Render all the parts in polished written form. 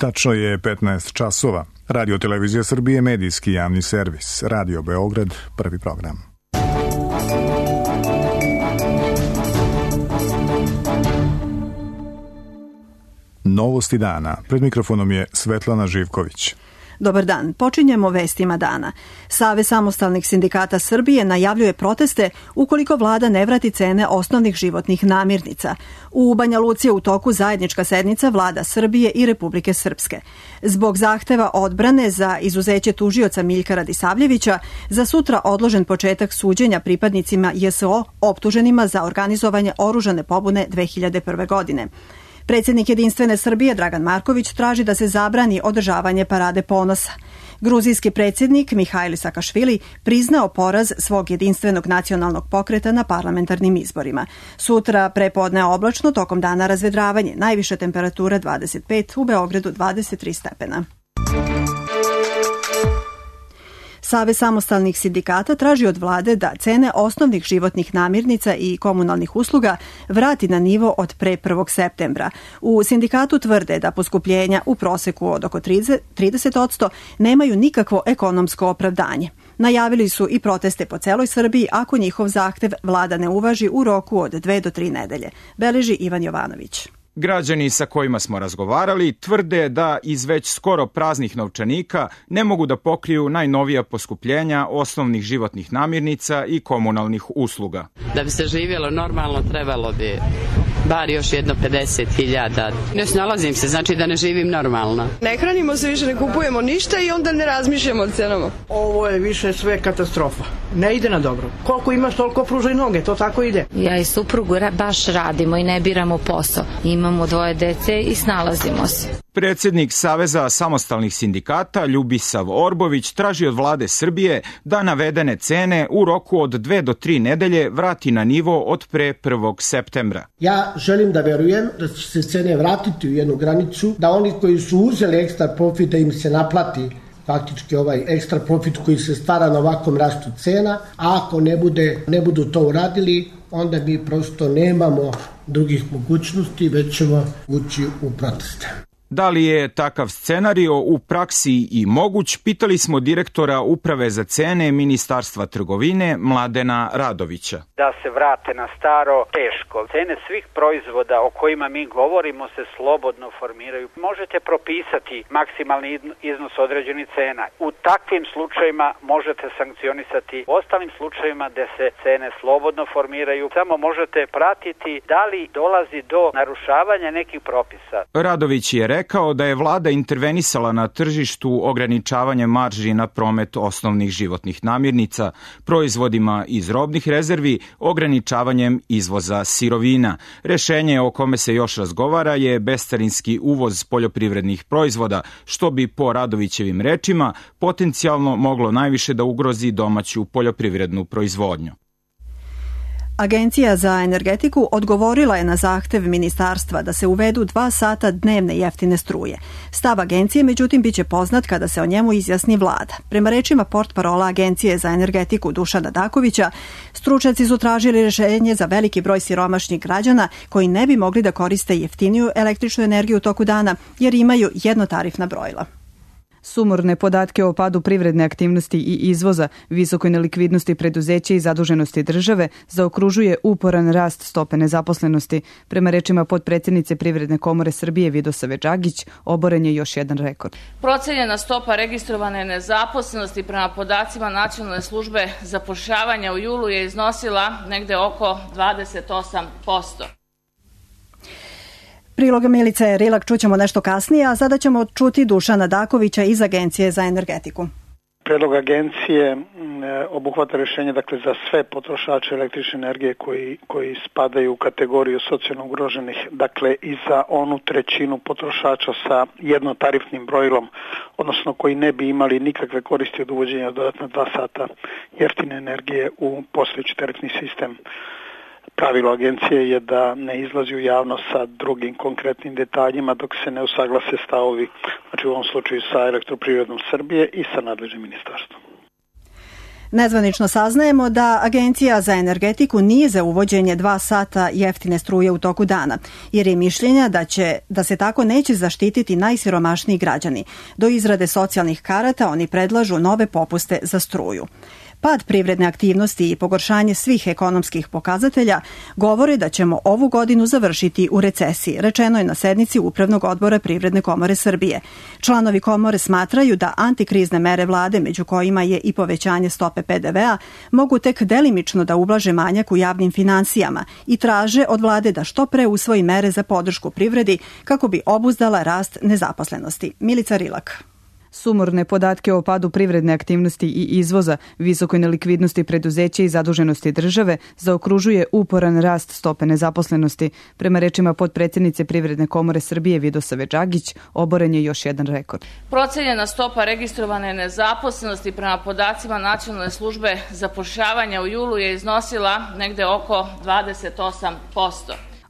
Tačno je 15 časova. Radio Televizija Srbije, medijski javni servis. Radio Beograd, prvi program. Novosti dana. Pred mikrofonom je Svetlana Živković. Dobar dan. Počinjemo vestima dana. Savez samostalnih sindikata Srbije najavljuje proteste ukoliko vlada ne vrati cene osnovnih životnih namirnica. U Banja Luci je u toku zajednička sednica vlada Srbije i Republike Srpske. Zbog zahteva odbrane za izuzeće tužioca Miljka Radisavljevića, za sutra odložen početak suđenja pripadnicima JSO optuženima za organizovanje oružane pobune 2001. godine. Predsjednik Jedinstvene Srbije Dragan Marković traži da se zabrani održavanje parade ponosa. Gruzijski predsjednik Mihajl Sakašvili priznao poraz svog jedinstvenog nacionalnog pokreta na parlamentarnim izborima. Sutra prepodne oblačno, tokom dana razvedravanje, najviša temperatura 25, u Beogradu 23 stepena. Savez samostalnih sindikata traži od vlade da cene osnovnih životnih namirnica i komunalnih usluga vrati na nivo od pre 1. septembra. U sindikatu tvrde da poskupljenja u proseku od oko 30% nemaju nikakvo ekonomsko opravdanje. Najavili su i proteste po celoj Srbiji ako njihov zahtev vlada ne uvaži u roku od 2 do 3 nedelje. Beleži Ivan Jovanović. Građani sa kojima smo razgovarali tvrde da iz već skoro praznih novčanika ne mogu da pokriju najnovija poskupljenja osnovnih životnih namirnica i komunalnih usluga. Da bi se živjelo normalno trebalo bi bar još jedno 50.000. Ne snalazim se, znači da ne živim normalno. Ne hranimo se više, ne kupujemo ništa i onda ne razmišljamo o cenama. Ovo je više sve katastrofa. Ne ide na dobro. Koliko imaš, toliko pružaj noge, to tako ide. Ja i suprugu baš radimo i ne biramo posao. Imamo 2 dece i snalazimo se. Predsjednik Saveza samostalnih sindikata Ljubisav Orbović traži od vlade Srbije da navedene cene u roku od 2 do 3 nedelje vrati na nivo od pre 1. septembra. Ja želim da verujem da će se cene vratiti u jednu granicu, da oni koji su uzeli ekstra profit da im se naplati faktički ovaj ekstra profit koji se stvara na ovakvom rastu cena, a ako ne budu to uradili, onda mi prosto nemamo drugih mogućnosti, već ćemo ući u proteste. Da li je takav scenario u praksi i moguć, pitali smo direktora Uprave za cene Ministarstva trgovine Mladena Radovića. Da se vrate na staro, teško. Cene svih proizvoda o kojima mi govorimo se slobodno formiraju. Možete propisati maksimalni iznos određenih cena. U takvim slučajima možete sankcionisati. U ostalim slučajima gde se cene slobodno formiraju, samo možete pratiti da li dolazi do narušavanja nekih propisa. Radović je rekao da je vlada intervenisala na tržištu ograničavanjem marži na promet osnovnih životnih namirnica, proizvodima iz robnih rezervi, ograničavanjem izvoza sirovina. Rešenje o kome se još razgovara je bescarinski uvoz poljoprivrednih proizvoda, što bi po Radovićevim rečima potencijalno moglo najviše da ugrozi domaću poljoprivrednu proizvodnju. Agencija za energetiku odgovorila je na zahtev ministarstva da se uvedu 2 sata dnevne jeftine struje. Stav agencije, međutim, biće poznat kada se o njemu izjasni vlada. Prema rečima portparola Agencije za energetiku Dušana Dakovića, stručnjaci su tražili rešenje za veliki broj siromašnih građana koji ne bi mogli da koriste jeftiniju električnu energiju u toku dana jer imaju jednotarifna brojila. Sumorne podatke o padu privredne aktivnosti i izvoza, visokoj nelikvidnosti preduzeća i zaduženosti države zaokružuje uporan rast stope nezaposlenosti. Prema rečima potpredsjednice Privredne komore Srbije Vidosave Đagić, oboren je još jedan rekord. Procenjena stopa registrovane nezaposlenosti prema podacima Nacionalne službe zapošljavanja u julu je iznosila negde oko 28%. Priloga Milice Rilak čućemo nešto kasnije, a sada ćemo čuti Dušana Dakovića iz Agencije za energetiku. Predlog agencije obuhvata rešenje za sve potrošače električne energije koji spadaju u kategoriju socijalno ugroženih, i za onu trećinu potrošača sa jednotarifnim brojilom, odnosno koji ne bi imali nikakve koristi od uvođenja dodatna 2 sata jeftine energije u postojeći tarifni sistem. Pravilo agencije je da ne izlazi u javnost sa drugim konkretnim detaljima dok se ne usaglase stavovi, u ovom slučaju sa Elektroprivredom Srbije i sa nadležnim ministarstvom. Nezvanično saznajemo da Agencija za energetiku nije za uvođenje 2 sata jeftine struje u toku dana, jer je mišljenja da se tako neće zaštititi najsiromašniji građani. Do izrade socijalnih karata oni predlažu nove popuste za struju. Pad privredne aktivnosti i pogoršanje svih ekonomskih pokazatelja govore da ćemo ovu godinu završiti u recesiji, rečeno je na sednici Upravnog odbora Privredne komore Srbije. Članovi komore smatraju da antikrizne mere vlade, među kojima je i povećanje stope PDV-a, mogu tek delimično da ublaže manjak u javnim finansijama i traže od vlade da što pre usvoji mere za podršku privredi kako bi obuzdala rast nezaposlenosti. Milica Rilak. Sumorne podatke o padu privredne aktivnosti i izvoza, visokoj nelikvidnosti preduzeća i zaduženosti države zaokružuje uporan rast stope nezaposlenosti. Prema rečima potpredsjednice Privredne komore Srbije Vidosave Đagić, oboren je još jedan rekord. Procenjena stopa registrovane nezaposlenosti prema podacima Nacionalne službe zapošljavanja u julu je iznosila negde oko 28%.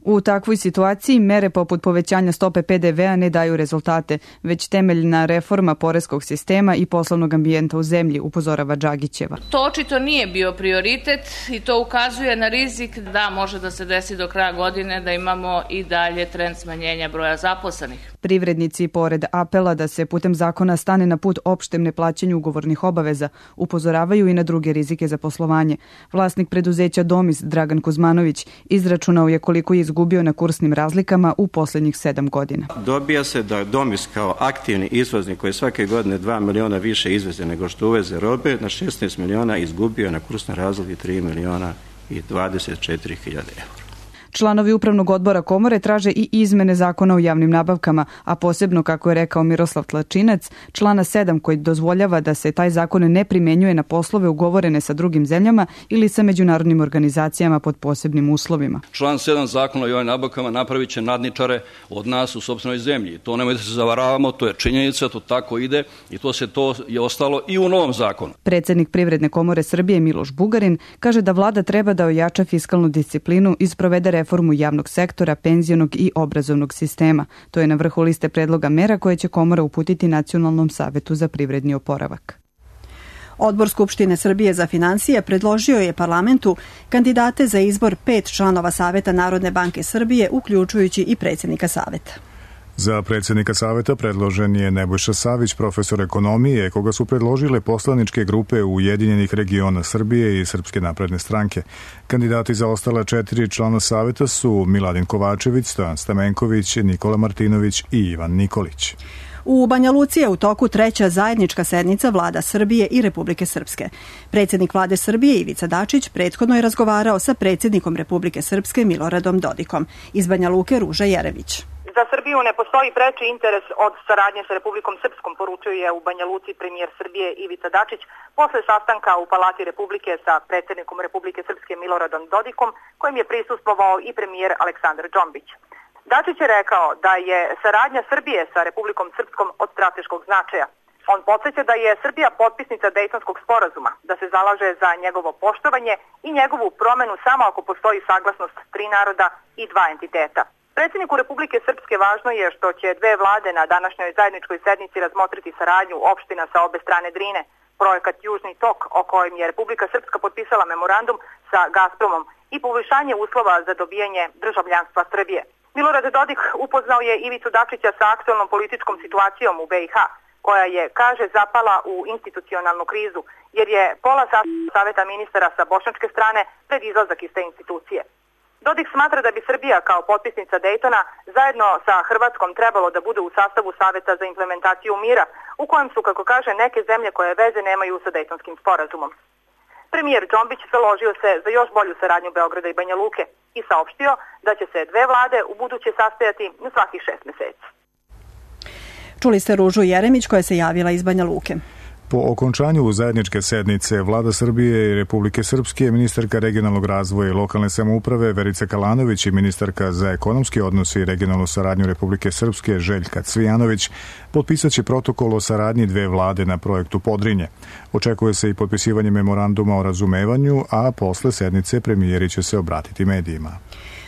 U takvoj situaciji mere poput povećanja stope PDV-a ne daju rezultate, već temeljna reforma poreskog sistema i poslovnog ambijenta u zemlji, upozorava Đagićeva. To očito nije bio prioritet i to ukazuje na rizik da može da se desi do kraja godine da imamo i dalje trend smanjenja broja zaposlenih. Privrednici, pored apela da se putem zakona stane na put opštem neplaćanju ugovornih obaveza, upozoravaju i na druge rizike za poslovanje. Vlasnik preduzeća Domis, Dragan Kuzmanović, izračunao je koliko je izgubio na kursnim razlikama u poslednjih 7 godina. Dobija se da Domis kao aktivni izvoznik koji svake godine 2 miliona više izveze nego što uveze robe, na 16 miliona izgubio na kursnoj razliki 3 miliona i 24 hiljade eura. Članovi Upravnog odbora komore traže i izmene zakona o javnim nabavkama, a posebno, kako je rekao Miroslav Tlačinac, člana 7 koji dozvoljava da se taj zakon ne primenjuje na poslove ugovorene sa drugim zemljama ili sa međunarodnim organizacijama pod posebnim uslovima. Član 7 zakona o javnim nabavkama napravit će nadničare od nas u sopstvenoj zemlji. To nemojte da se zavaravamo, to je činjenica, to tako ide i to je ostalo i u novom zakonu. Predsednik Privredne komore Srbije Miloš Bugarin kaže da vlada treba da ojača fiskalnu disciplinu i sprovede reformu javnog sektora, penzionog i obrazovnog sistema. To je na vrhu liste predloga mera koje će komora uputiti Nacionalnom savetu za privredni oporavak. Odbor Skupštine Srbije za finansije predložio je parlamentu kandidate za izbor 5 članova Saveta Narodne banke Srbije, uključujući i predsjednika Saveta. Za predsjednika Saveta predložen je Nebojša Savić, profesor ekonomije, koga su predložile poslaničke grupe Ujedinjenih regiona Srbije i Srpske napredne stranke. Kandidati za ostala 4 člana Saveta su Miladin Kovačević, Stojan Stamenković, Nikola Martinović i Ivan Nikolić. U Banja Luci je u toku 3. zajednička sednica vlada Srbije i Republike Srpske. Predsjednik vlade Srbije Ivica Dačić prethodno je razgovarao sa predsjednikom Republike Srpske Miloradom Dodikom. Iz Banja Luke Ruža Jerević. Za Srbiju ne postoji preči interes od saradnje sa Republikom Srpskom, poručio je u Banja Luci premijer Srbije Ivica Dačić posle sastanka u Palati Republike sa predsjednikom Republike Srpske Miloradom Dodikom, kojim je prisustvovao i premijer Aleksandar Džombić. Dačić je rekao da je saradnja Srbije sa Republikom Srpskom od strateškog značaja. On podsjeća da je Srbija potpisnica Dejtonskog sporazuma, da se zalaže za njegovo poštovanje i njegovu promenu samo ako postoji saglasnost 3 naroda i 2 entiteta. Predsjedniku Republike Srpske važno je što će 2 vlade na današnjoj zajedničkoj sednici razmotriti saradnju opština sa obe strane Drine, projekat Južni tok o kojem je Republika Srpska potpisala memorandum sa Gazpromom i poboljšanje uslova za dobijanje državljanstva Srbije. Milorad Dodik upoznao je Ivicu Dačića sa aktualnom političkom situacijom u BiH, koja je, kaže, zapala u institucionalnu krizu, jer je pola saveta ministara sa bošnjačke strane pred izlazak iz te institucije. Dodik smatra da bi Srbija kao potpisnica Dejtona zajedno sa Hrvatskom trebalo da bude u sastavu Saveta za implementaciju mira, u kojem su, kako kaže, neke zemlje koje veze nemaju sa Dejtonskim sporazumom. Premijer Džombić založio se za još bolju saradnju Beograda i Banja Luke i saopštio da će se 2 vlade u buduće sastajati na svakih 6 meseci. Čuli ste Ružu Jeremić koja se javila iz Banja Luke. Po okončanju zajedničke sednice Vlada Srbije i Republike Srpske, ministarka regionalnog razvoja i lokalne samouprave Verica Kalanović i ministarka za ekonomski odnos i regionalnu saradnju Republike Srpske Željka Cvijanović potpisat će protokol o saradnji 2 vlade na projektu Podrinje. Očekuje se i potpisivanje memoranduma o razumevanju, a posle sednice premijeri će se obratiti medijima.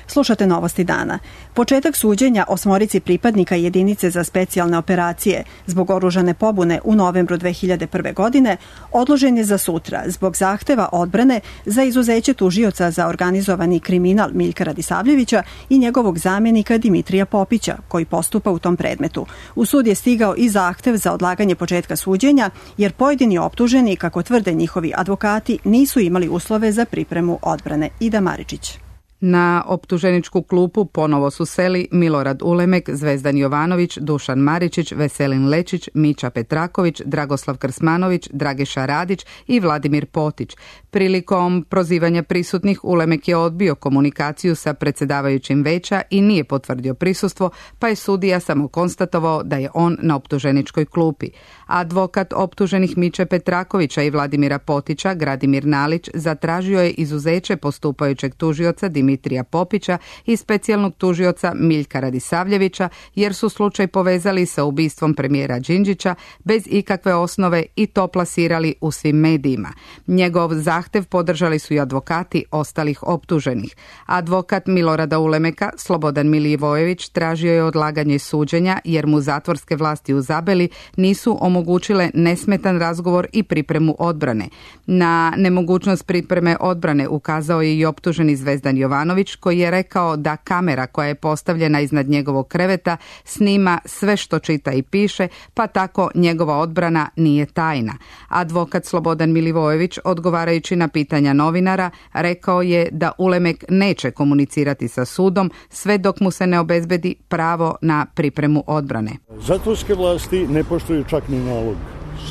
Slušate Novosti dana. Početak suđenja 8 pripadnika jedinice za specijalne operacije zbog oružane pobune u novembru 2001. godine odložen je za sutra zbog zahteva odbrane za izuzeće tužioca za organizovani kriminal Miljka Radisavljevića i njegovog zamjenika Dimitrija Popića, koji postupa u tom predmetu. U sud je stigao i zahtev za odlaganje početka suđenja, jer pojedini optuženi, kako tvrde njihovi advokati, nisu imali uslove za pripremu odbrane. Ida Maričić. Na optuženičku klupu ponovo su seli Milorad Ulemek, Zvezdan Jovanović, Dušan Maričić, Veselin Lečić, Mića Petraković, Dragoslav Krsmanović, Dragiša Radić i Vladimir Potić. Prilikom prozivanja prisutnih Ulemek je odbio komunikaciju sa predsjedavajućim veća i nije potvrdio prisustvo, pa je sudija samo konstatovao da je on na optuženičkoj klupi. Advokat optuženih Miće Petrakovića i Vladimira Potića, Gradimir Nalić, zatražio je izuzeće postupajućeg tužioca Dimitrija Popića i specijalnog tužioca Miljka Radisavljevića, jer su slučaj povezali sa ubistvom premijera Đinđića bez ikakve osnove i to plasirali u svim medijima. Njegov zahtev podržali su i advokati ostalih optuženih. Advokat Milorada Ulemeka, Slobodan Milivojević, tražio je odlaganje suđenja jer mu zatvorske vlasti u Zabeli nisu omogućile nesmetan razgovor i pripremu odbrane. Na nemogućnost pripreme odbrane ukazao je i optuženi Zvezdan Jovanović, koji je rekao da kamera koja je postavljena iznad njegovog kreveta snima sve što čita i piše, pa tako njegova odbrana nije tajna. Advokat Slobodan Milivojević, odgovarajući na pitanja novinara, rekao je da Ulemek neće komunicirati sa sudom sve dok mu se ne obezbedi pravo na pripremu odbrane. Zatvorske vlasti ne poštuju čak ni nalog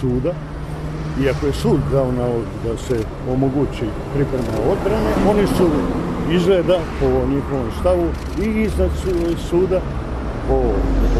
suda, iako je sud dao nalog da se omogući priprema odbrane, oni su izgleda po njihovom stavu i iznad suda po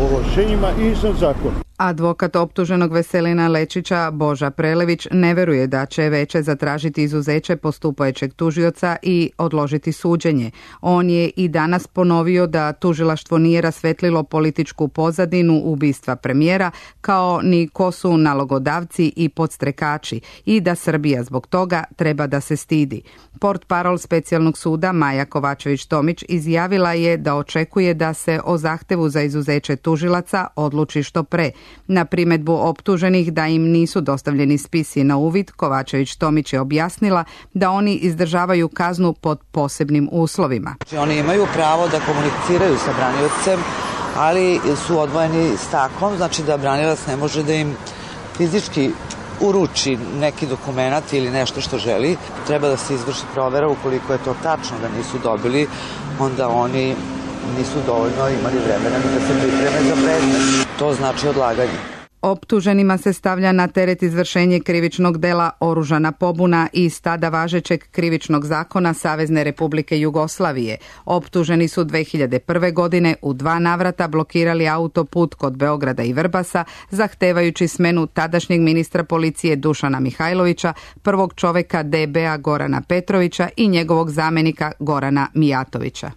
ovlašćenjima i iznad zakona. Advokat optuženog Veselina Lečića, Boža Prelević, ne veruje da će veće zatražiti izuzeće postupajućeg tužioca i odložiti suđenje. On je i danas ponovio da tužilaštvo nije rasvetlilo političku pozadinu ubistva premijera, kao ni ko su nalogodavci i podstrekači, i da Srbija zbog toga treba da se stidi. Portparol specijalnog suda Maja Kovačević-Tomić izjavila je da očekuje da se o zahtevu za izuzeće tužilaca odluči što pre. Na primedbu optuženih da im nisu dostavljeni spisi na uvid, Kovačević-Tomić je objasnila da oni izdržavaju kaznu pod posebnim uslovima. Oni imaju pravo da komuniciraju sa braniocem, ali su odvojeni stakom, znači da branilac ne može da im fizički uruči neki dokument ili nešto što želi. Treba da se izvrši provera, ukoliko je to tačno da nisu dobili, onda oni nisu dovoljno imali vremena da se pripreme za predmet. To znači odlaganje. Optuženima se stavlja na teret izvršenje krivičnog dela oružana pobuna iz tada važećeg krivičnog zakona Savezne Republike Jugoslavije. Optuženi su 2001. godine u 2 navrata blokirali autoput kod Beograda i Vrbasa, zahtevajući smenu tadašnjeg ministra policije Dušana Mihajlovića, prvog čoveka DB-a Gorana Petrovića i njegovog zamjenika Gorana Mijatovića.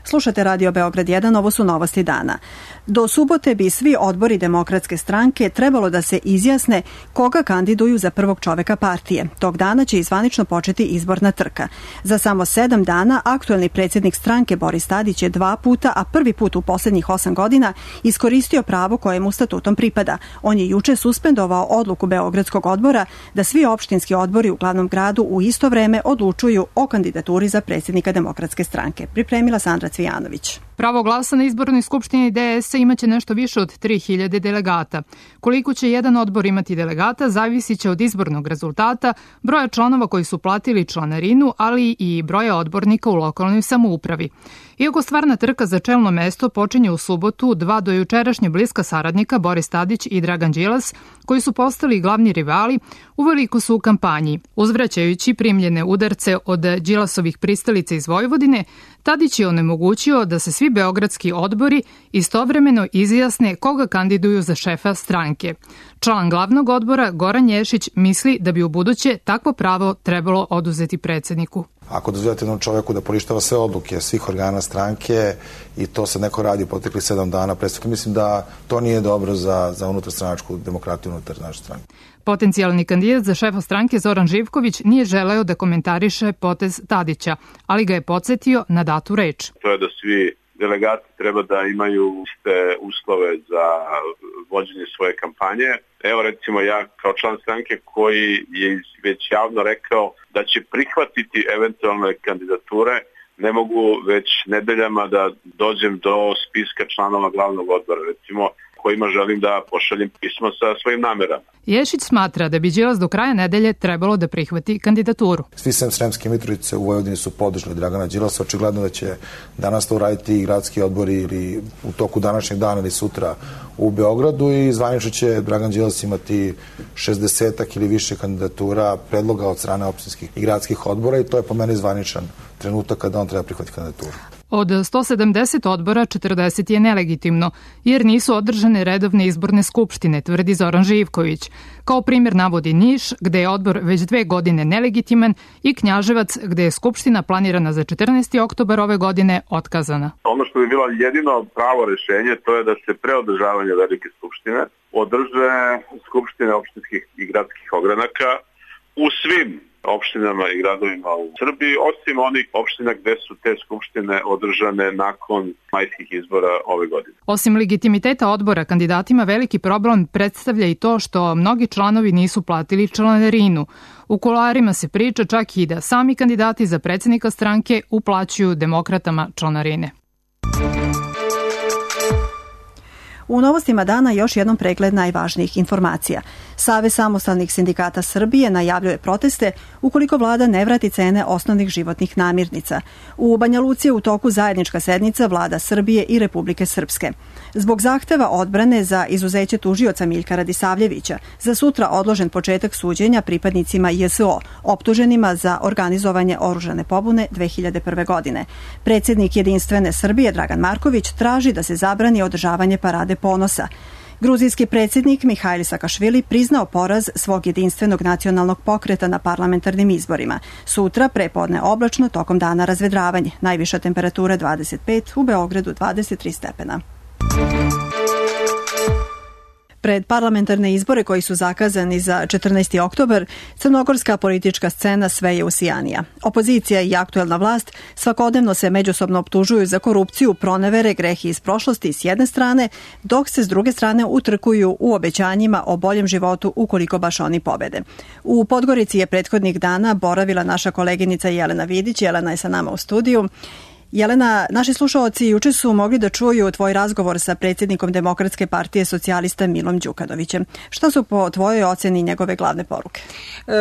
Slušate Radio Beograd 1, ovo su Novosti dana. Do subote bi svi odbori Demokratske stranke trebalo da se izjasne koga kandiduju za prvog čoveka partije. Tog dana će zvanično početi izborna trka. Za samo 7 dana aktuelni predsjednik stranke Boris Tadić je 2 puta, a prvi put u posljednjih 8 godina, iskoristio pravo koje mu statutom pripada. On je juče suspendovao odluku Beogradskog odbora da svi opštinski odbori u glavnom gradu u isto vreme odlučuju o kandidaturi za predsjednika Demokratske stranke. Pripremila Sandra Cvijanović. Pravo glasa na izbornoj skupštini DS-a imaće nešto više od 3000 delegata. Koliko će jedan odbor imati delegata zavisit će od izbornog rezultata, broja članova koji su platili članarinu, ali i broja odbornika u lokalnoj samoupravi. Iako stvarna trka za čelno mesto počinje u subotu, 2 do jučerašnje bliska saradnika, Boris Tadić i Dragan Đilas, koji su postali glavni rivali, uveliko su u kampanji. Uzvraćajući primljene udarce od Đilasovih pristalica iz Vojvodine, Tadić je onemogućio da se svi beogradski odbori istovremeno izjasne koga kandiduju za šefa stranke. Član glavnog odbora Goran Ješić misli da bi u buduće takvo pravo trebalo oduzeti predsjedniku. ako dozvoljate jednom čoveku da poništava sve odluke svih organa stranke i to se neko radi proteklih 7 dana, predstavljam, mislim da to nije dobro za unutarstranačku demokratiju unutar naše stranke. Potencijalni kandidat za šefa stranke Zoran Živković nije želeo da komentariše potez Tadića, ali ga je podsjetio na datu reč. To je da svi delegati treba da imaju iste uslove za vođenje svoje kampanje. Evo recimo ja kao član stranke koji je već javno rekao da će prihvatiti eventualne kandidature, ne mogu već nedeljama da dođem do spiska članova glavnog odbora, recimo kojima želim da pošaljem pismo sa svojim namerama. Ješić smatra da bi Đilas do kraja nedelje trebalo da prihvati kandidaturu. Svi sem Sremske Mitrovice u Vojvodini su podržali Dragana Đilasa. Očigledno da će danas to uraditi i gradski odbori ili u toku današnjeg dana ili sutra u Beogradu i zvanično će Dragan Đilas imati 60-ak ili više kandidatura predloga od strane opštinskih i gradskih odbora i to je po meni zvaničan trenutak kada on treba prihvatiti kandidaturu. Od 170 odbora 40 je nelegitimno, jer nisu održane redovne izborne skupštine, tvrdi Zoran Živković. Kao primjer navodi Niš, gde je odbor već 2 godine nelegitiman, i Knjaževac, gde je skupština planirana za 14. oktobar ove godine otkazana. Ono što bi bilo jedino pravo rešenje, to je da se pre održavanja velike skupštine održe skupštine opštinskih i gradskih ogranaka u svim opštinama i gradovima u Srbiji, osim onih opština gde su te skupštine održane nakon majskih izbora ove godine. Osim legitimiteta odbora, kandidatima veliki problem predstavlja i to što mnogi članovi nisu platili članarinu. U kuloarima se priča čak i da sami kandidati za predsjednika stranke uplaćuju demokratama članarine. U novostima dana još jednom pregled najvažnijih informacija. Savez samostalnih sindikata Srbije najavljuje proteste ukoliko vlada ne vrati cene osnovnih životnih namirnica. U Banja Luci je u toku zajednička sednica vlada Srbije i Republike Srpske. Zbog zahteva odbrane za izuzeće tužioca Miljka Radisavljevića, za sutra odložen početak suđenja pripadnicima JSO, optuženima za organizovanje oružane pobune 2001. godine. Predsjednik Jedinstvene Srbije Dragan Marković traži da se zabrani održavanje parade ponosa. Gruzijski predsjednik Mihajl Sakašvili priznao poraz svog jedinstvenog nacionalnog pokreta na parlamentarnim izborima. Sutra prepodne oblačno, tokom dana razvedravanje. Najviša temperatura 25, u Beogradu 23 stepena. Pred parlamentarne izbore koji su zakazani za 14. oktobar, crnogorska politička scena sve je usijanija. Opozicija i aktuelna vlast svakodnevno se međusobno optužuju za korupciju, pronevere, grehi iz prošlosti s jedne strane, dok se s druge strane utrkuju u obećanjima o boljem životu ukoliko baš oni pobede. U Podgorici je prethodnih dana boravila naša koleginica Jelena Vidić. Jelena je sa nama u studiju. Jelena, naši slušaoci juče su mogli da čuju tvoj razgovor sa predsjednikom Demokratske partije socijalista Milom Đukanovićem. Šta su po tvojoj oceni njegove glavne poruke?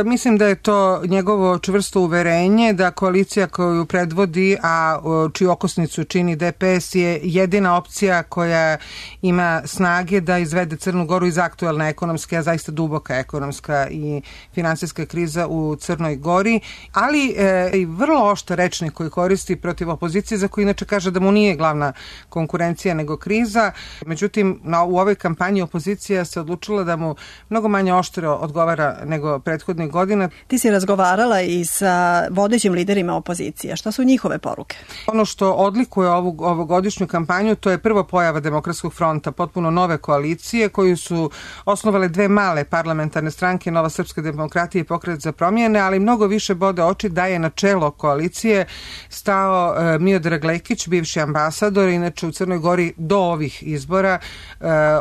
Mislim da je to njegovo čvrsto uverenje da koalicija koju predvodi, a čiju okosnicu čini DPS, je jedina opcija koja ima snage da izvede Crnu Goru iz aktuelne ekonomske, a zaista duboka ekonomska i finansijska kriza u Crnoj Gori, ali i vrlo oštar rečnik koji koristi protiv opozicije, za koju inače kaže da mu nije glavna konkurencija nego kriza. Međutim, u ovoj kampanji opozicija se odlučila da mu mnogo manje oštro odgovara nego prethodnih godina. Ti si razgovarala i sa vodećim liderima opozicije. Šta su njihove poruke? Ono što odlikuje ovu godišnju kampanju, to je prvo pojava Demokratskog fronta, potpuno nove koalicije koju su osnovale 2 male parlamentarne stranke, Nova srpska demokratija i Pokret za promjene, ali mnogo više bode oči da je na čelo koalicije stao Miodrag Lekić, bivši ambasador, inače u Crnoj Gori do ovih izbora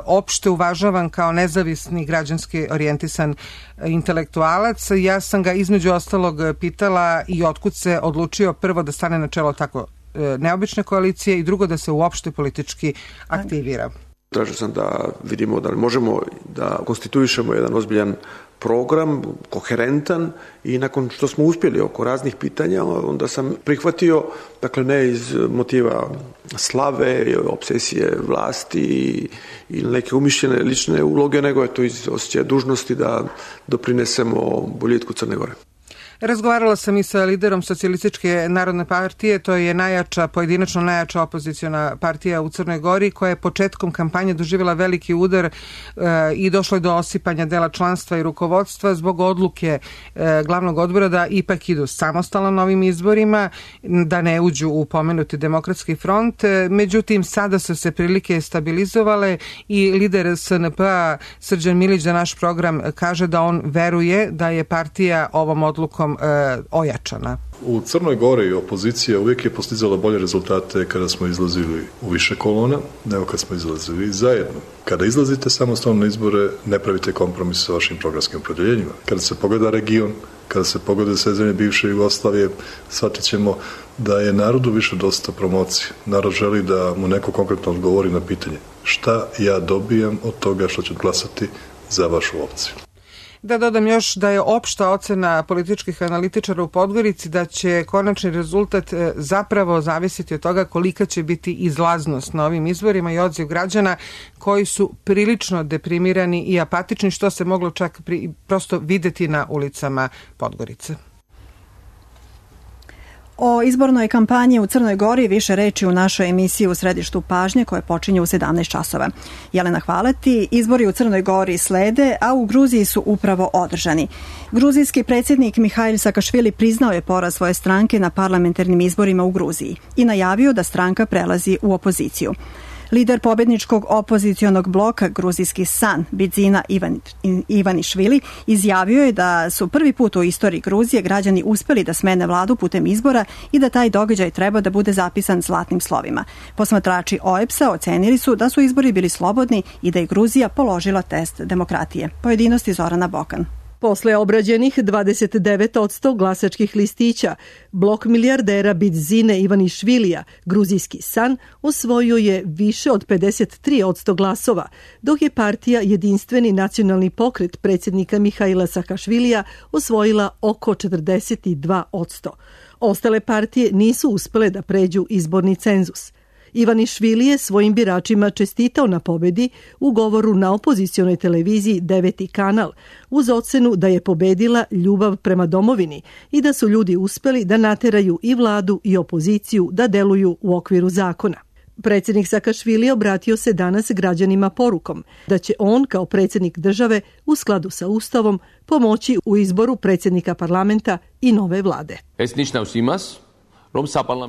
opšte uvažavan kao nezavisni građanski orijentisan intelektualac. Ja sam ga između ostalog pitala i otkud se odlučio prvo da stane na čelo tako neobične koalicije i drugo da se uopšte politički aktivira. Tražio sam da vidimo da možemo da konstituišemo jedan ozbiljan program, koherentan, i nakon što smo uspjeli oko raznih pitanja, onda sam prihvatio, dakle ne iz motiva slave, obsesije vlasti ili neke umišljene lične uloge, nego je to iz osjećaja dužnosti da doprinesemo boljitku Crne Gore. Razgovarala sam i sa liderom Socijalističke narodne partije, to je pojedinačno najjača opoziciona partija u Crnoj Gori, koja je početkom kampanje doživjela veliki udar i došlo je do osipanja dela članstva i rukovodstva zbog odluke glavnog odbora da ipak idu samostalno na ovim izborima, da ne uđu u pomenuti Demokratski front. Međutim, sada su se prilike stabilizovale i lider SNP-a Srđan Milić za naš program kaže da on veruje da je partija ovom odlukom ojačana. U Crnoj Gori opozicija uvijek je postizala bolje rezultate kada smo izlazili u više kolona nego kad smo izlazili zajedno. Kada izlazite samostalno na izbore, ne pravite kompromis sa vašim programskim opredjeljenjima. Kada se pogleda region, kada se pogleda sve zemlje bivše Jugoslavije, shvatit ćemo da je narodu više dosta promocije. Narod želi da mu neko konkretno odgovori na pitanje šta ja dobijam od toga što ću glasati za vašu opciju. Da dodam još da je opšta ocena političkih analitičara u Podgorici da će konačni rezultat zapravo zavisiti od toga kolika će biti izlaznost na ovim izborima i odziv građana koji su prilično deprimirani i apatični, što se moglo čak prosto videti na ulicama Podgorice. O izbornoj kampanji u Crnoj Gori više reči u našoj emisiji U središtu pažnje koje počinje u 17 časova. Jelena, hvala ti. Izbori u Crnoj Gori slede, a u Gruziji su upravo održani. Gruzijski predsjednik Mihail Sakašvili priznao je poraz svoje stranke na parlamentarnim izborima u Gruziji i najavio da stranka prelazi u opoziciju. Lider pobjedničkog opozicionog bloka Gruzijski san Bidzina Ivanišvili izjavio je da su prvi put u istoriji Gruzije građani uspjeli da smene vladu putem izbora i da taj događaj treba da bude zapisan zlatnim slovima. Posmatrači OEBS-a ocenili su da su izbori bili slobodni i da je Gruzija položila test demokratije. Pojedinosti Zorana Bokan. Posle obrađenih 29% glasačkih listića, blok milijardera Bidzine Ivanišvilija, Gruzijski san, osvojio je više od 53% glasova, dok je partija Jedinstveni nacionalni pokret predsjednika Mihaila Sakašvilija osvojila oko 42%. Ostale partije nisu uspjele da pređu izborni cenzus. Ivanišvili je svojim biračima čestitao na pobedi u govoru na opozicionoj televiziji 9. kanal, uz ocenu da je pobedila ljubav prema domovini i da su ljudi uspjeli da nateraju i vladu i opoziciju da deluju u okviru zakona. Predsjednik Sakašvili obratio se danas građanima porukom da će on kao predsjednik države u skladu sa Ustavom pomoći u izboru predsjednika parlamenta i nove vlade.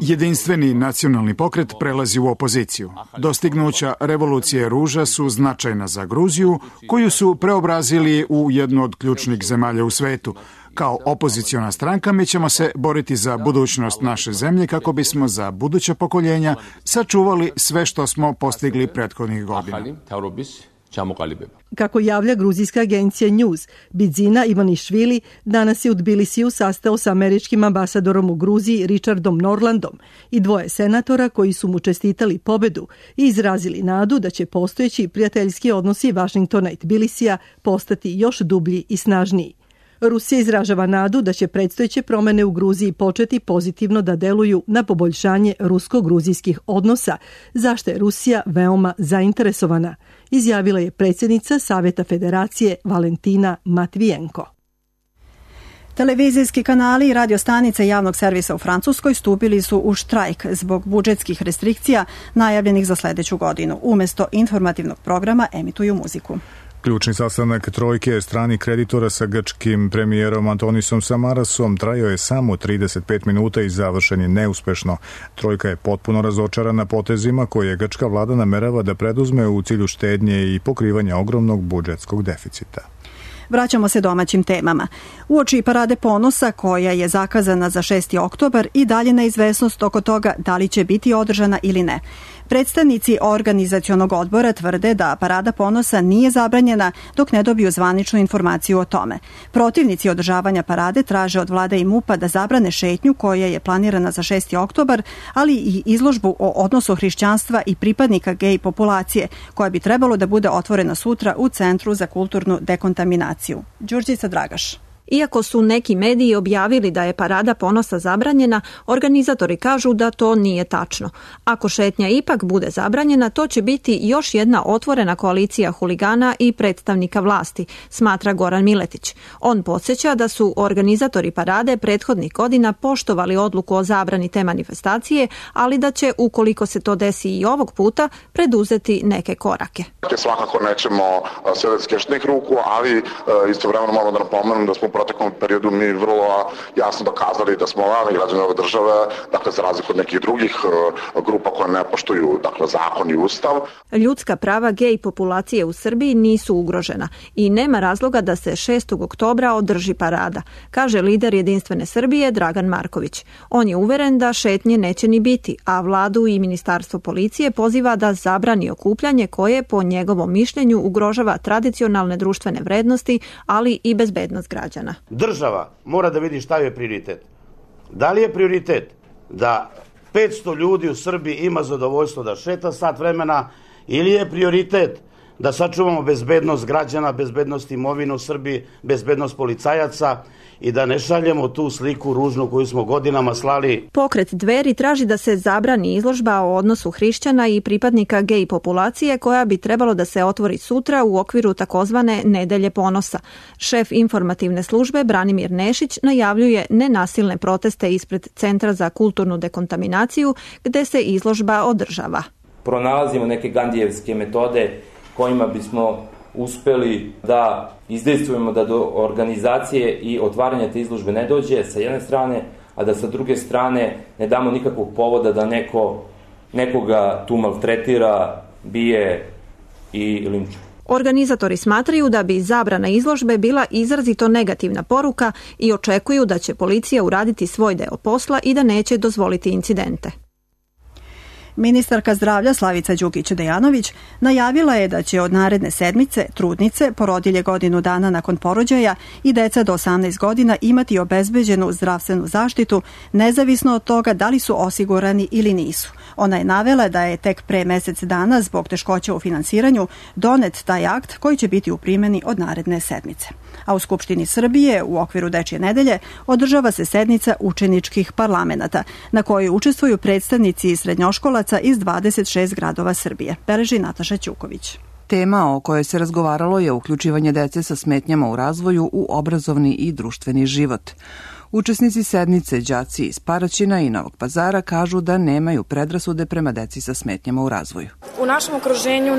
Jedinstveni nacionalni pokret prelazi u opoziciju. Dostignuća revolucije ruža su značajna za Gruziju, koju su preobrazili u jednu od ključnih zemalja u svetu. Kao opoziciona stranka mi ćemo se boriti za budućnost naše zemlje kako bismo za buduća pokoljenja sačuvali sve što smo postigli prethodnih godina. Kako javlja gruzijska agencija News, Bidzina Ivanišvili danas je u Tbilisiju sastao sa američkim ambasadorom u Gruziji Richardom Norlandom i dvoje senatora koji su mu čestitali pobedu i izrazili nadu da će postojeći prijateljski odnosi Vašingtona i Tbilisija postati još dublji i snažniji. Rusija izražava nadu da će predstojeće promjene u Gruziji početi pozitivno da deluju na poboljšanje rusko-gruzijskih odnosa, zašto je Rusija veoma zainteresovana, izjavila je predsjednica Saveta Federacije Valentina Matvijenko. Televizijski kanali i radiostanice javnog servisa u Francuskoj stupili su u štrajk zbog budžetskih restrikcija najavljenih za sljedeću godinu. Umjesto informativnog programa emituju muziku. Ključni sastanak trojke stranih kreditora sa grčkim premijerom Antonisom Samarasom trajao je samo 35 minuta i završen je neuspešno. Trojka je potpuno razočarana potezima koje grčka vlada namerava da preduzme u cilju štednje i pokrivanja ogromnog budžetskog deficita. Vraćamo se domaćim temama. Uoči parade ponosa koja je zakazana za 6. oktobar i dalje neizvesnost oko toga da li će biti održana ili ne. Predstavnici organizacionog odbora tvrde da parada ponosa nije zabranjena dok ne dobiju zvaničnu informaciju o tome. Protivnici održavanja parade traže od vlade i MUP-a da zabrane šetnju koja je planirana za 6. oktobar, ali i izložbu o odnosu hrišćanstva i pripadnika gej populacije, koja bi trebalo da bude otvorena sutra u Centru za kulturnu dekontaminaciju. Đurđica Dragaš. Iako su neki mediji objavili da je Parada ponosa zabranjena, organizatori kažu da to nije tačno. Ako šetnja ipak bude zabranjena, to će biti još jedna otvorena koalicija huligana i predstavnika vlasti, smatra Goran Miletić. On podsjeća da su organizatori parade prethodnih godina poštovali odluku o zabrani te manifestacije, ali da će, ukoliko se to desi i ovog puta, preduzeti neke korake. Svakako nećemo sve od skeštenih ruku, ali istovremeno moramo da napomenem da smo u proteklom periodu mi vrlo jasno dokazali da smo glavni građani ove države, dakle za razliku od nekih drugih grupa koje ne poštuju zakon i ustav. Ljudska prava gej populacije u Srbiji nisu ugrožena i nema razloga da se 6. oktobra održi parada, kaže lider Jedinstvene Srbije Dragan Marković. On je uveren da šetnje neće ni biti, a vladu i ministarstvo policije poziva da zabrani okupljanje koje, po njegovom mišljenju, ugrožava tradicionalne društvene vrednosti, ali i bezbednost građana. Država mora da vidi šta je prioritet. Da li je prioritet da 500 ljudi u Srbiji ima zadovoljstvo da šeta sat vremena ili je prioritet da sačuvamo bezbednost građana, bezbednost imovine u Srbiji, bezbednost policajaca i da ne šaljemo tu sliku ružnu koju smo godinama slali. Pokret Dveri traži da se zabrani izložba o odnosu hrišćana i pripadnika gej populacije koja bi trebalo da se otvori sutra u okviru takozvane Nedelje ponosa. Šef informativne službe Branimir Nešić najavljuje nenasilne proteste ispred Centra za kulturnu dekontaminaciju gde se izložba održava. Pronalazimo neke gandijevske metode kojima bismo uspeli da izdejstvujemo da do organizacije i otvaranja te izložbe ne dođe sa jedne strane, a da sa druge strane ne damo nikakvog povoda da nekoga tu maltretira, bije i linčuje. Organizatori smatraju da bi zabrana izložbe bila izrazito negativna poruka i očekuju da će policija uraditi svoj deo posla i da neće dozvoliti incidente. Ministarka zdravlja Slavica Đukić-Dejanović najavila je da će od naredne sedmice trudnice, porodilje godinu dana nakon porođaja i deca do 18 godina imati obezbeđenu zdravstvenu zaštitu, nezavisno od toga da li su osigurani ili nisu. Ona je navela da je tek pre mesec dana zbog teškoća u finansiranju donet taj akt koji će biti u primjeni od naredne sedmice. A u Skupštini Srbije u okviru Dečije nedelje održava se sednica učeničkih parlamenata na kojoj učestvuju predstavnici srednjoškolaca iz 26 gradova Srbije. Beleži Nataša Ćuković. Tema o kojoj se razgovaralo je uključivanje dece sa smetnjama u razvoju u obrazovni i društveni život. Učesnici sednice, đaci iz Paraćina i Novog Pazara, kažu da nemaju predrasude prema deci sa smetnjama u razvoju. U našem okruženju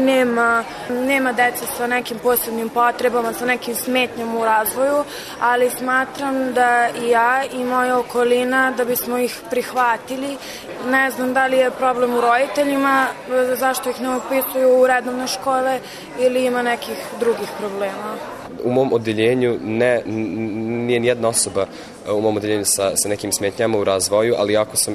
nema dece sa nekim posebnim potrebama, sa nekim smetnjama u razvoju, ali smatram da i ja i moja okolina da bismo ih prihvatili. Ne znam da li je problem u roditeljima, zašto ih ne upisuju u redovne škole ili ima nekih drugih problema. U mom odeljenju nije nijedna osoba u mom odeljenju sa nekim smetnjama u razvoju, ali jako sam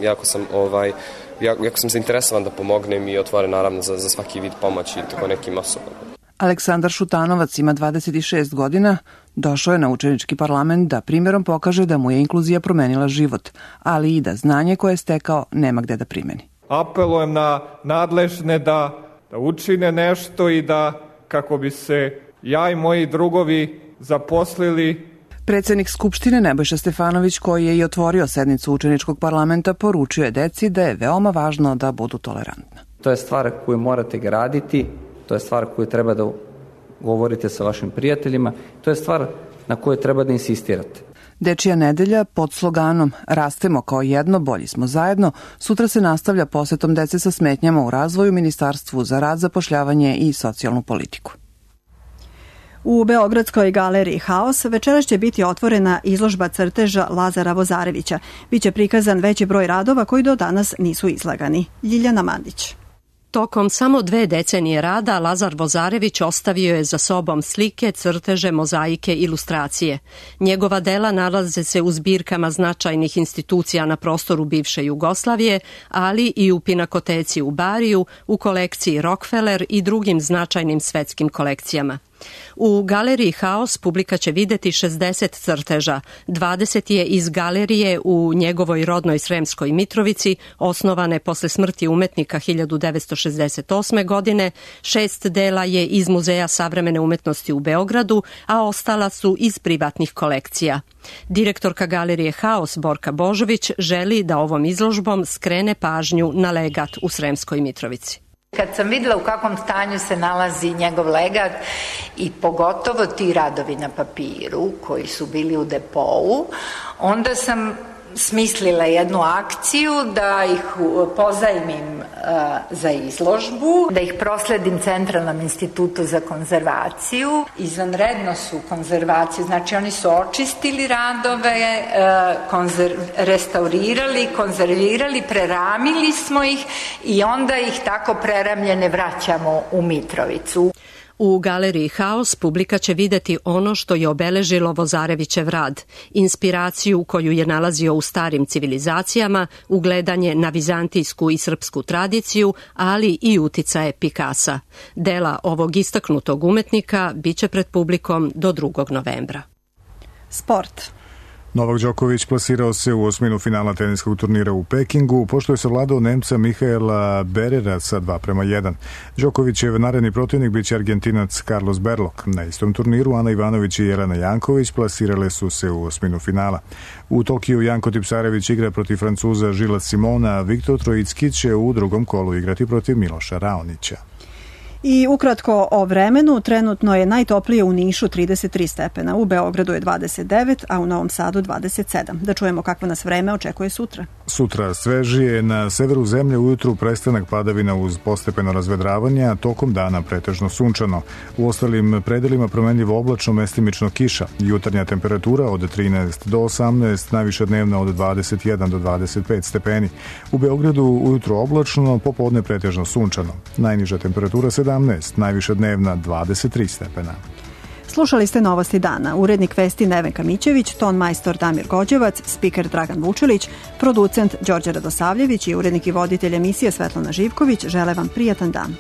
zainteresovan da pomognem i otvoren naravno za svaki vid pomoći tako nekim osobama. Aleksandar Šutanovac ima 26 godina, došao je na učenički parlament da primjerom pokaže da mu je inkluzija promenila život, ali i da znanje koje je stekao nema gde da primeni. Apelujem na nadležne da učine nešto i da kako bi se ja i moji drugovi zaposlili. Predsednik Skupštine Nebojša Stefanović, koji je i otvorio sednicu učeničkog parlamenta, poručio je deci da je veoma važno da budu tolerantna. To je stvar koju morate graditi, to je stvar koju treba da govorite sa vašim prijateljima, to je stvar na kojoj treba da insistirate. Dečija nedelja pod sloganom Rastemo kao jedno, bolji smo zajedno, sutra se nastavlja posetom dece sa smetnjama u razvoju Ministarstvu za rad, zapošljavanje i socijalnu politiku. U Beogradskoj galeriji Haos večeras će biti otvorena izložba crteža Lazara Vozarevića. Biće prikazan veći broj radova koji do danas nisu izlagani. Ljiljana Mandić. Tokom samo 2 decenije rada Lazar Vozarević ostavio je za sobom slike, crteže, mozaike, ilustracije. Njegova dela nalaze se u zbirkama značajnih institucija na prostoru bivše Jugoslavije, ali i u Pinakoteci u Bariju, u kolekciji Rockefeller i drugim značajnim svetskim kolekcijama. U galeriji Haos publika će videti 60 crteža. 20 je iz galerije u njegovoj rodnoj Sremskoj Mitrovici, osnovane posle smrti umetnika 1968. godine. 6 dela je iz Muzeja savremene umetnosti u Beogradu, a ostala su iz privatnih kolekcija. Direktorka galerije Haos Borka Božović želi da ovom izložbom skrene pažnju na legat u Sremskoj Mitrovici. Kad sam videla u kakvom stanju se nalazi njegov legat i pogotovo ti radovi na papiru koji su bili u depou, onda sam smislila jednu akciju da ih pozajmim za izložbu, da ih prosledim Centralnom institutu za konzervaciju. Izvanredno su konzervaciju, znači oni su očistili radove, restaurirali, konzervirali, preramili smo ih i onda ih tako preramljene vraćamo u Mitrovicu. U galeriji Haos publika će videti ono što je obeležilo Vozarevićev rad, inspiraciju koju je nalazio u starim civilizacijama, ugledanje na vizantijsku i srpsku tradiciju, ali i uticaje Pikasa. Dela ovog istaknutog umetnika biće pred publikom do 2. novembra. Sport. Novak Đoković plasirao se u osminu finala teniskog turnira u Pekingu, pošto je savladao Nemca Mihaela Berera sa 2:1. Đokovićev naredni protivnik biće Argentinac Carlos Berlok. Na istom turniru Ana Ivanović i Jelena Janković plasirale su se u osminu finala. U Tokiju Janko Tipsarević igra protiv Francuza Žila Simona, a Viktor Trojicki će u drugom kolu igrati protiv Miloša Raonića. I ukratko o vremenu, trenutno je najtoplije u Nišu 33 stepena, u Beogradu je 29, a u Novom Sadu 27. Da čujemo kakvo nas vreme očekuje sutra. Sutra svežije, na severu zemlje ujutru prestanak padavina uz postepeno razvedravanje, a tokom dana pretežno sunčano. U ostalim predelima promenljivo oblačno, mestimično kiša. Jutarnja temperatura od 13 do 18, najviša dnevna od 21 do 25 stepeni. U Beogradu ujutro oblačno, popodne pretežno sunčano. Najniža temperatura 17, najviša dnevna 23 stepena. Slušali ste Novosti dana. Urednik vesti Nevenka Mićević, ton majstor Damir Gođevac, spiker Dragan Vučilić, producent Đorđe Radosavljević i urednik i voditelj emisije Svetlana Živković žele vam prijatan dan.